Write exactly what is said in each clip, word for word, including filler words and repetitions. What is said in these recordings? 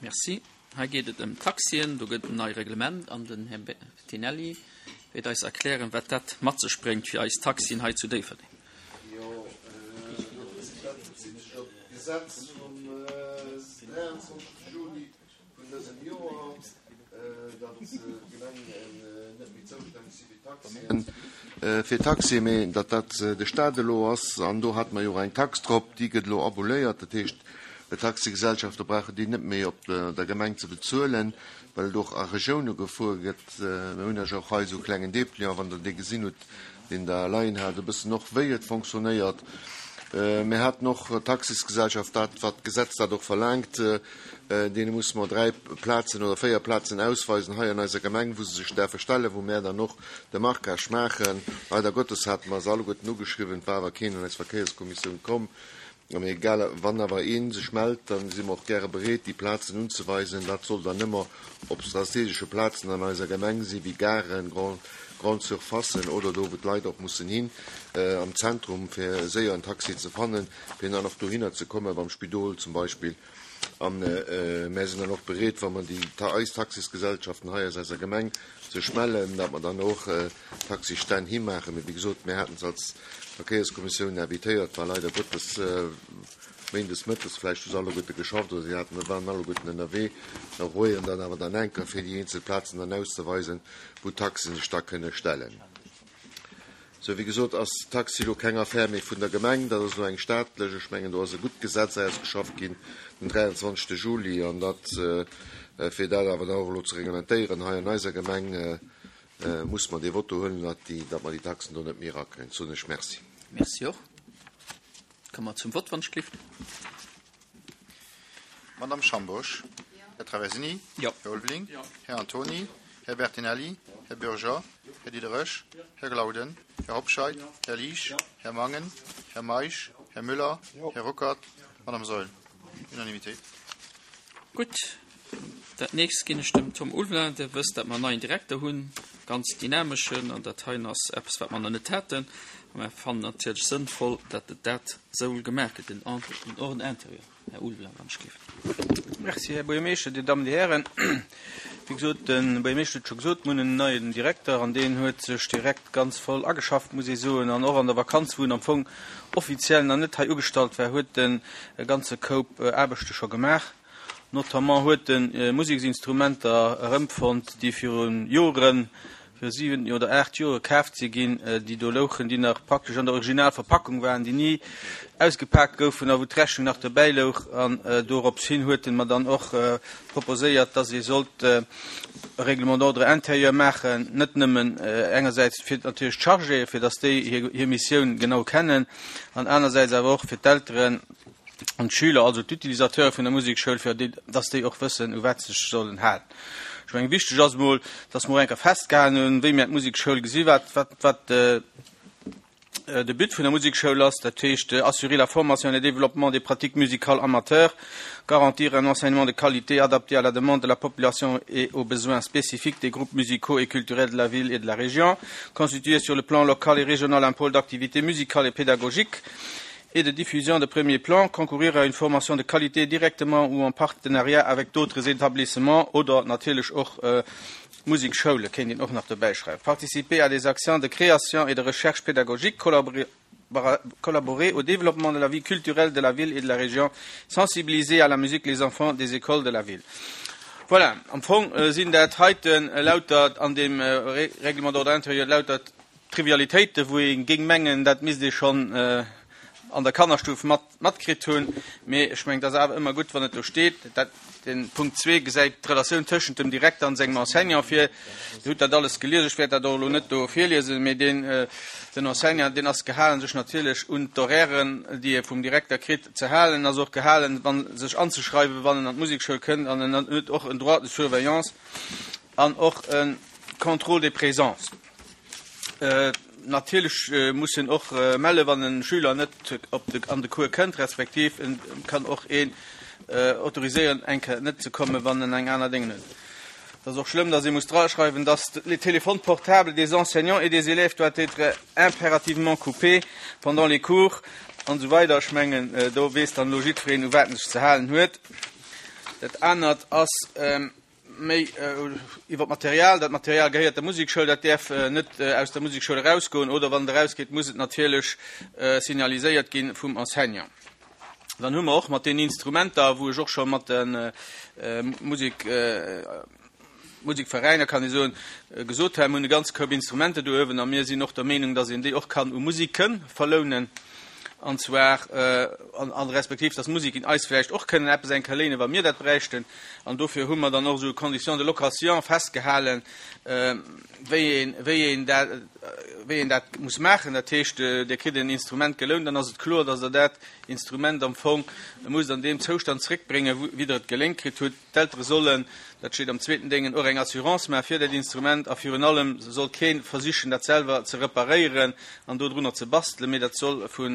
Merci. Hei geet et ëm d'Taxien. Do gëtt en nei Reglement an den Här Bertinelli wäert eis erklären, wat dat mat sech bréngt fir eis Taxien hei zu Déifferdeng. Jo, dat bezitt sech op d'Gesetz vum dräianzwanzegste Juli vun dësem Joer, datt d'Gemengen net méi zoustänneg si fir d'Taxien, fir d'Taxien, mee datt dat de Stat elo ass. An do hate mer jo och eng Tax drop, déi gëtt elo aboléiert. Dat heescht, d'Taxigesellschafte brauchen déi net méi op der Gemeng ze bezuelen, well et och a Regioune gefuer gëtt. Mir hunn Iech och hei esou e klengen Dépliant, wann Der dee gesinn hutt, deen Der leien hat, e bëssen och wéi et fonctionnéiert. Mir haten och d'Taxisgesellschaft, dat wat d'Gesetz dat och verlaangt, deene musse mer dräi Plazen oder véier Plazen ausweisen hei an eiser Gemeng, wou se sech däerfe stellen, wou mär dann och de Marquage maachen. Leider Gottes hate mer se alleguerten ugeschriwwen, et war awer keen an eis Verkéierskommissioun komm. Mee egal, wann awer ee sech mellt, da si mer och gäre bereet, déi Plazen unzeweisen. Dat soll dann ëmmer op strategesche Plazen an eiser Gemeng sinn, wéi Garen, Grandes Surfacen oder do, wou d'Leit och mussen hin, am Zentrum, fir séier en Taxi ze fannen, fir dann och dohinner ze kommen, beim Spidol zum Beispill. A mär sinn dann och bereet, wa mer déi, eis Taxisgesellschaften hei aus eiser Gemeng sech mellen, datt mer dann och Taxistänn himaachen. Mee wéi gesot, mär haten se als Verkéierskommissioun invitéiert, war leider Gottes méindes mëttes, vläicht hu se alleguerte geschafft oder si haten, waren alleguerten ënnerwee. Da rueien dann awer dann enker, fir déi eenzel Plazen dann auszeweisen, wou d'Taxen sech da kënne stellen. Sou, wéi gesot ass Taxi elo keng Affär méi vun der Gemeng, dat ass elo eng staatlech. Ech mengen, do ass e gutt Gesetz ausgeschafft ginn den dräianzwanzegste Juli, an dat, fir dat awer da och elo ze reglementéieren hei an eiser Gemeng, muss mer dee Vote do huelen, datt déi, datt mer déi Taxen do net méi erakréien. Soen ech Merci. Merci och. Komme mer zum Vott, wann ech gelift. Madame Schambosch. Här Traversini. Jo. Här Ulveling. Här Antoni. Här Bertinelli. Här Bürger. Här Diderich. Här Glauden. Här Hobscheit. Här Liesch. Här Mangen. Här Meisch. Här Müller. Här Ruckert. Madame Saeul. Unanimité. Gutt. Dat nächst ginn ech dem Tom Ulveling. Dir wësst, datt mer en neien Direkter hunn, ganz dynameschen, an dat heien ass eppes, wat mer nach net haten. A mer fannen natierlech sënnvoll, datt et dat esou gemaach gëtt, den Ordre intérieur. Här Ulveling, wann ech géif. Merci, Här Buergermeeschter, Dir Dammen, Dir Hären. Wéi gesot, de Buergermeeschter huet scho gesot, mir hunn en neien Direkter an deen huet sech direkt ganz voll ageschafft, muss ee soen. An och an der Vakanz, wou en am Fong offiziell nach net hei ugestallt war, huet en e ganze Koup Aarbechte scho gemaach. Notamment huet en Museksinstrumenter erëmfonnt, déi viru Joren, viru siwen oder aacht Jore kaaft si ginn, déi do louchen, déi nach praktesch an der Originalverpackung waren, déi ni ausgepaakt goufen a wou d'Rechnung nach dobäi louch. An dorops hin huet en mer dann och proposéiert, dass ee sollt e Règlement d'ordre intérieur maachen, net nëmmen engersäits fir natierlech d'Chargéë, fir dass déi hir Missioun genau kennen, an anersäits awer och fir d'Elteren an d'Schüler, also d'Utilisateure vun der Musekschoul, fir dass déi och wëssen, u wat se sech sollen halen. Ech mengen, wichteg ass emol, dass mer och eng Kéier festgehalen hunn, wéi mir d'Musekschoul gesinn, wat, wat, wat de But vun der Musekschoul ass, dat heescht assurer la formation et le développement des pratiques musicales amateurs, garantir un enseignement de qualité adapté à la demande de la population et aux besoins spécifiques des groupes musicaux et culturels de la ville et de la région, constituer sur le plan local et régional un pôle d'activité musicale et pédagogique et de diffusion de premier plan, concourir à une formation de qualité directement ou en partenariat avec d'autres établissements oder natierlech och Musikschoule kéint een och nach dobäischreiwen, participer à des actions de création et de recherche pédagogique, collaborer au développement de la vie culturelle de la ville et de la région, sensibiliser à la musique les enfants des écoles de la ville. Voilà, am Fong sinn dat heiten lauter an deem Règlement d'ordre intérieur lauter Trivialitéiten, wou ee géing mengen, dat misst ee schonn an der Kannerstuf mat matkritt hunn. Mee ech mengen, et ass awer ëmmer gutt, wann et do steet. Dat, den Punkt zwee gesäit d'Relatioun tëschent dem Direkter an sengem Enseignant vir. Dir hutt dat alles gelies, ech wäert dat och elo net do virliesen, mee deen, den Enseignant, deen ass gehalen, sech natierlech un d'Horairen, déi e vum Direkter kritt, ze halen, ass och gehalen, wann, sech anzeschreiwen, wann en an d'Musekschoul kënnt, an en huet och en Droit de surveillance an och e Contrôle des présences. Natierlech muss en och mellen, wann e Schüler net op de, an de Cours kënnt, respektiv en kann och een autoriséieren, eng Kéier net ze kommen, wann en eng aner Déngen huet. Et ass och schlëmm, dass ee muss draschreiwen, dass les téléphones portables des enseignants et des élèves doivent être impérativement coupés pendant les cours an esou weider. Ech mengen, do weess dann elo jiddwereen, u wat en sech ze halen huet. Dat anert ass méi iwwer d'Material. Dat Material gehéiert der Musekschoul, dat däerf net aus der Musekschoul erausgoen oder wann et erausgeet, muss et natierlech signaliséiert gi vum Enseignant. Dann hu mer och mat den Instrumenter, wou ech och scho mat de Musek, Musekveräiner, kann ee soen, gesot hu, mir hunn e ganze Koup Instrumenter do uewen a mir sinn och der Meenung, dass een déi och kann u Museke verlounen, an zwar an respektiv, dass d'Musiken eis vläicht och kënnen eppes eng Kéier léinen, wa mir dat bräichten. An dofir hu mer dann och esou Conditions de location festgehalen, wéi een, wéi een dat, wéi een dat muss maachen. Dat heescht, Dir kritt en Instrument gelount, dann ass et kloer, dass Der dat Instrument am Fong musst an deem Zoustand zréckbréngen, wéi Der et geléint kritt hutt. D'Eltere sollen, dat steet am zweeten Déngen, och eng Assurance maache fir dat Instrument a virun allem soll kee versichen, dat selwer ze reparéieren an dodrunner ze bastelen, mee dat soll vu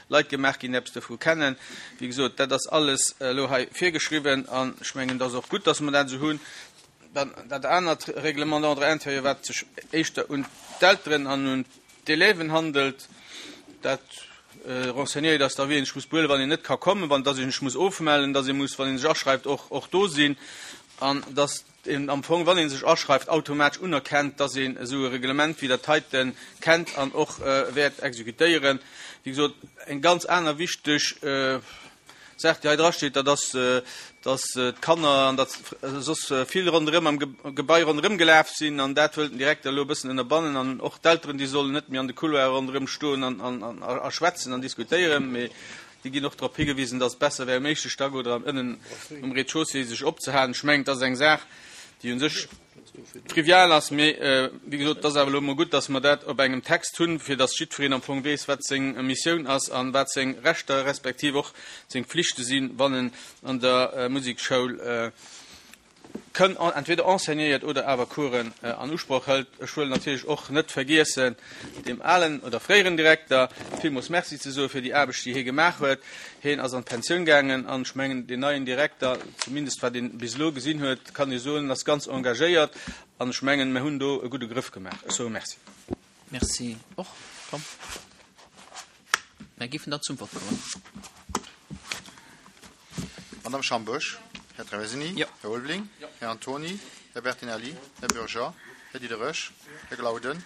Leit gemaach ginn, déi eppes dovu kennen. Wéi gesot, dat ass alles elo hei virgeschriwwen an ech mengen, et ass och gutt, dass mer dat esou hunn. Dann dat anert Règlement d'ordre intérieur, wat sech éischter un d'Elteren an un d'Élèven handelt, dat renseignéiert ass da, wéi een sech muss behuelen, wann een net ka kommen, wann dass een sech muss ofmellen, dass ee muss, wann ee sech aschreift, och och do sinn an dass een am Fong, wann ee sech aschreift, automatesch unerkennt, dass een esou e Reglement wéi dat heite kennt an och wäert exekutéieren. Wéi gesot, eng ganz aner wichteg Saach, déi hei drasteet, dat ass, dass d'Kanner an dat soss vill ronderëm am Gebai ronderëm gelaf sinn an dat wëllt den Direkter elo e bëssen ënnerbannen an och d'Elteren, déi sollen net méi an de Couloire ronderëm stoen an, an, a schwätzen an diskutéieren, mee déi ginn och drop higewisen, dass et besser wär, um éischte Stack oder ënnen um Rez-de-chaussée sech opzehalen. Ech mengen, dat ass eng Saach, déi u sech trivial ass, mee wéi gesot, et ass awer elo emol gutt, dass mer dat op engem Text hunn, fir dass jiddwereen am Fong weess, wat seng Missioun ass a wat seng Rechter respektiv och seng Flichte sinn, wann en an der Musekschoul kënn entweder enseignéiert oder awer Coursen an Usproch hëlt. Ech wëll natierlech och net vergiessen, deem alen oder fréieren Direkter villmools Merci ze soe fir déi Aarbecht, déi hie gemaach huet. Hien ass an d'Pensioun gaangen an ech mengen, deen neien Direkter, zumindest wat een bis elo gesinn huet, kann ee soen, ass ganz engagéiert an ech mengen, mir hunn do e gudde Grëff gemaach. Ech soe Merci. Merci och. Komm, mir géifen dann zum Vott kommen. Madame Schambourg, Här Traversini, Jo. Här Ulveling, Här Antoni, Här Bertinelli, Här Bürger, Här Diderich, Här Glauden,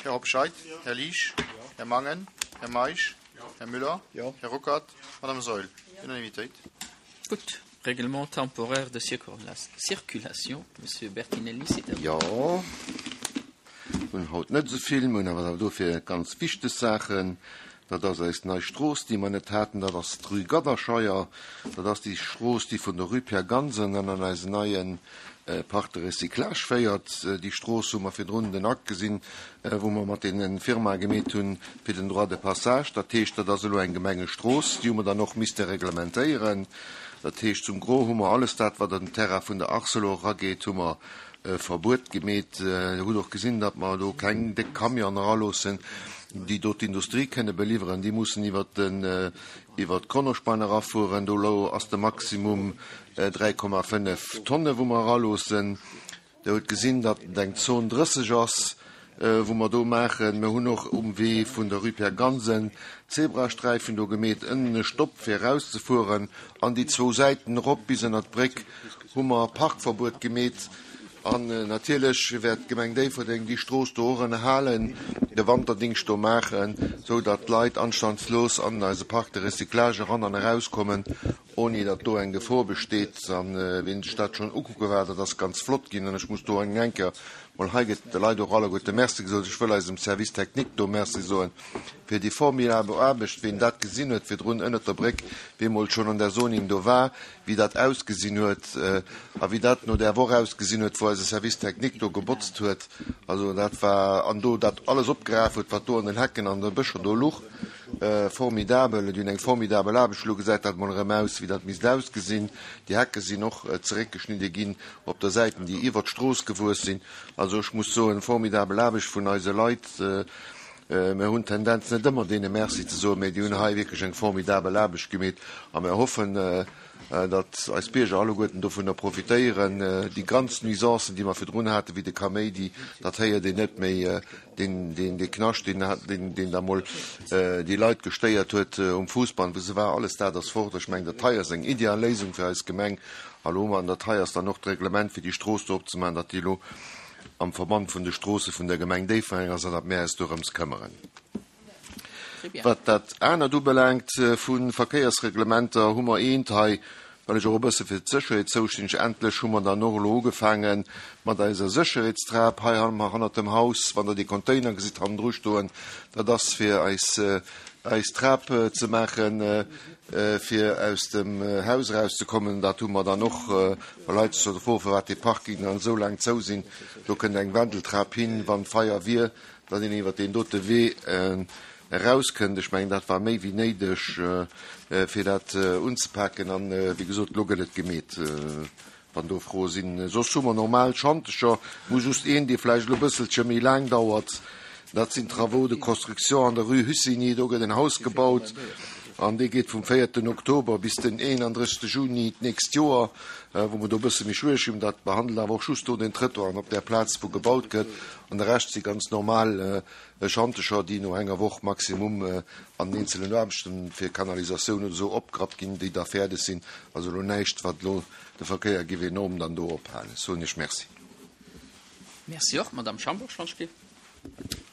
Här Hobscheit, Här Liesch, Här Mangen, Här Meisch, Här Müller, Här Ruckert, Madame Saeul. Unanimitéit. Gutt. Règlement temporaire de circulation, Monsieur Bertinelli, c'est à vous. Jo, hunn haut net esou vill, mir hunn awer dofir ganz wichteg Saachen. Dat ass eis nei Strooss, déi mer net haten, dat ass d'Rue Gadderscheier. Dat ass déi Strooss, déi vun der Rue Pierre Gansen an an eisen neie Parc de recyclage féiert. Déi Strooss hu mer virdrun den Akt gesinn, wou mer mat deene Firmae gemeet hunn fir den Droit de passage. Dat heescht, dat ass elo eng Gemengestrooss, déi hu mer dann och misste reglementéieren. Dat heescht, zum Gros hu mer alles dat, wat an den Terrain vun der Arcelor erageet, hu mer Verbuet gemeet. Dir hutt och gesinn, datt mer do keng déck Camionen eraloossen, déi do d'Industrie kënne beliwweren. Déi mussen iwwert den, iwwert d'Kronospan erafueren. Do elo ass de Maximum dräi Komma fënnef Tonne wou mer eraloossen. Dir hutt gesinn, datt et eng Zon drësseg ass, wou mer do maachen. Mir hunn och um Wee vun der Rue Pierre Gansen Zebrasträifen do gemeet, ënnen e Stopp fir erauszefueren an déi zwou Säiten erop bis ënnert d'Bréck hu mer Parkverbuet gemeet. An natierlech wäert d'Gemeng Déifferdeng déi Strooss do och ënnerhalen, de Wanterdingscht do maachen, sou datt d'Leit anstandslos an eise Parc de recyclage eran an erauskommen, ouni datt do eng Gefor besteet. An wien sech dat schonn ukucke war, dat ass ganz flott ginn. An ech muss do eng Kéier mol, hei gëtt de Leit och alleguerte Merci gesot, ech wëll eisem Service technique do Merci soen fir déi formidabel Aarbecht, wien dat gesinn huet virdrun ënnert der Bréck, wee mol schonn an der Zoning do war, wéi dat ausgesinn huet a wéi dat no där Woch ausgesinn huet, wou eise Service technique do gebotzt huet. Also dat war, an do dat alles opgeraf huet, wat do an den Hecken an de Bëscher do luch. Formidabel, déi hunn eng formidabel Aarbecht. Elo gesäit dat mol erëm aus, wéi dat misst ausgesinn. Déi Hecke sinn och zeréckgeschnidde ginn op der Säiten, déi iwwert d'Strooss gewuess sinn. Also ech muss soen, formidabel Aarbecht vun eise Leit. Mir hunn d'Tendenz net ëmmer deene Merci ze soen, mee déi hunn hei wierklech eng formidabel Aarbecht gemeet a mir hoffen, datt eis Bierger alleguerten dovunner profitéieren. Déi ganz Nuisancen, déi mer virdrun haten, wéi de Kaméidi, dat héiert een net méi, deen, deen, dee Knascht, deen, deen, deen da mol déi Leit gestéiert huet um Fuussband, wou se war, alles dat ass fort. Ech mengen, dat hei ass eng ideal Léisung fir eis Gemeng. A lo hu mer an dat hei ass dann och d'Reglement, fir déi Strooss do opzemaachen, datt déi elo am Verband vun de Stroosse vun der Gemeng Déifferdeng ass an datt mär eis dorëms këmmeren. Wat dat anert ubelaangt vu Verkéiersreglementer, hu mer eent hei, well ech och e bësse fir d'Sécherheet zoustänneg, endlech hu mer dann och elo ugefaange mat eiser Sécherheetstrap hei hannert dem Haus, wann Der déi Container gesitt hannendru stoen, dat ass fir eis eis Trap ze maachen, fir aus dem Haus erauszekommen. Dat hu mer dann och, well Leit sech froen, firwat déi Parkingen dann esou laang zou sinn. Do kënnt eng Wendeltrap hin, wann Feier wier, datt een iwwert deen dote Wee erauskënnt. Ech mengen, dat war méi wéi néideg, fir dat unzepaken. An, wéi gesot, elo gëtt et gemeet. Wann do Froe sinn. Soss hu mer normal Schantecher. Mir hu just een, dee vläicht elo e bësselche méi laang dauert. Dat sinn d'Travaux de construction an der Rue Hussigny. Do gëtt en Haus gebaut an dee geet vum véierten Oktober bis den eenandrëssegste Juni d'nächst Joer, wou mer do e bësse méi schwiereg hunn. Dat behandelt awer och just do den Trëttoir an op där Plaz, wou gebaut gëtt. An de Rescht si ganz normal Schantecher, déi no enger Woch maximum an den eenzelen Aarbechten fir Kanalisatioun oder esou opgerappt ginn, déi da fäerdeg sinn. Also elo näischt, wat elo de Verkéier géif enorm dann do ophalen. Ech soen Iech Merci. Merci och. Madame Schambourg, Schwanzspiel.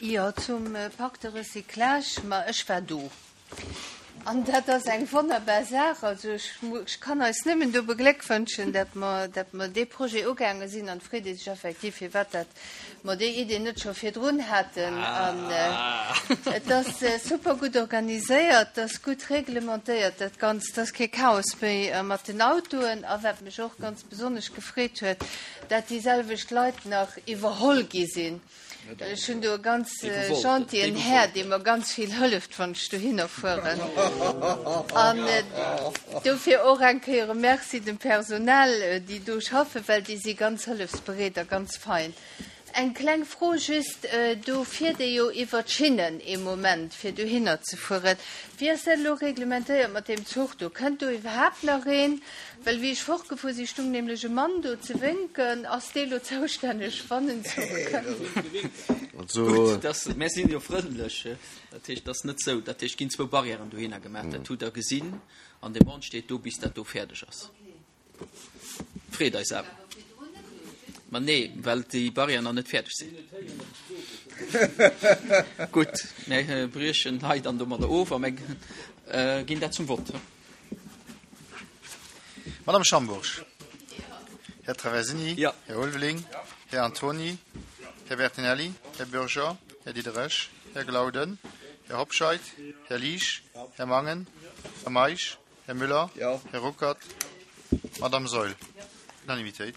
Jo, zum Parc de recyclage, ma ech war do. An dat ass eng wonnerbar Saach. Also ech, ech kann eis nëmmen do begléckwënschen, dat mer, dat mer dee Projet ugaange sinn an freet ee sech effektiv, firwat dat mer déi Idee net scho virdrun haten. An et ass super gutt organiséiert, et ass gutt reglementéiert dat Ganzt, et ass kee Chaos méi mat den Autoen. A wat mech och ganz besonnesch gefreet huet, dat déi selwecht Leit nach iwwerholl gi sinn. Ech hunn do e ganz gentien Här, dee mer ganz vill hëlleft, wann ech dohinner fueren. An dofir och eng Kéier e Merci dem Personal, déi do schaffen, well déi si ganz hëllefsbereet a ganz fein. Eng kleng Fro just, do fiert ee jo iwwer d'Schinnen ee Moment, fir dohinner ze fueren. Wéi ass dat elo reglementéiert mat deem Zuch do? Kënnt do iwwerhaapt nach een? Well wéi ech fortgefuer sinn, stung nämlech e Mann do ze wénken. Ass dee lo zoustänneg, wann en Zuch kënnt? Gutt, dass, mär sinn jo frëndlech, dat heescht, et ass net sou. Dat heescht, et ginn zwou Barrièren dohinner gemaach, dat hutt Der gesinn, an dee Mann steet do, bis dat do fäerdeg ass. Freet eis awer. Ma nee, well déi Barrièren nach net fäerdeg sinn. Gutt, mir briechen hei dann domadder of a mir ginn dat zum Vott. Madame Schambourg, Här Traversini, Här Ulveling, Här Antony, Här Bertinelli, Här Bürger, Här Diderich, Här Glauden, Här Hobscheit, Här Liesch, Här Mangen, Här Meisch, Här Müller, Här Ruckert, Madame Saeul. Unanimitéit.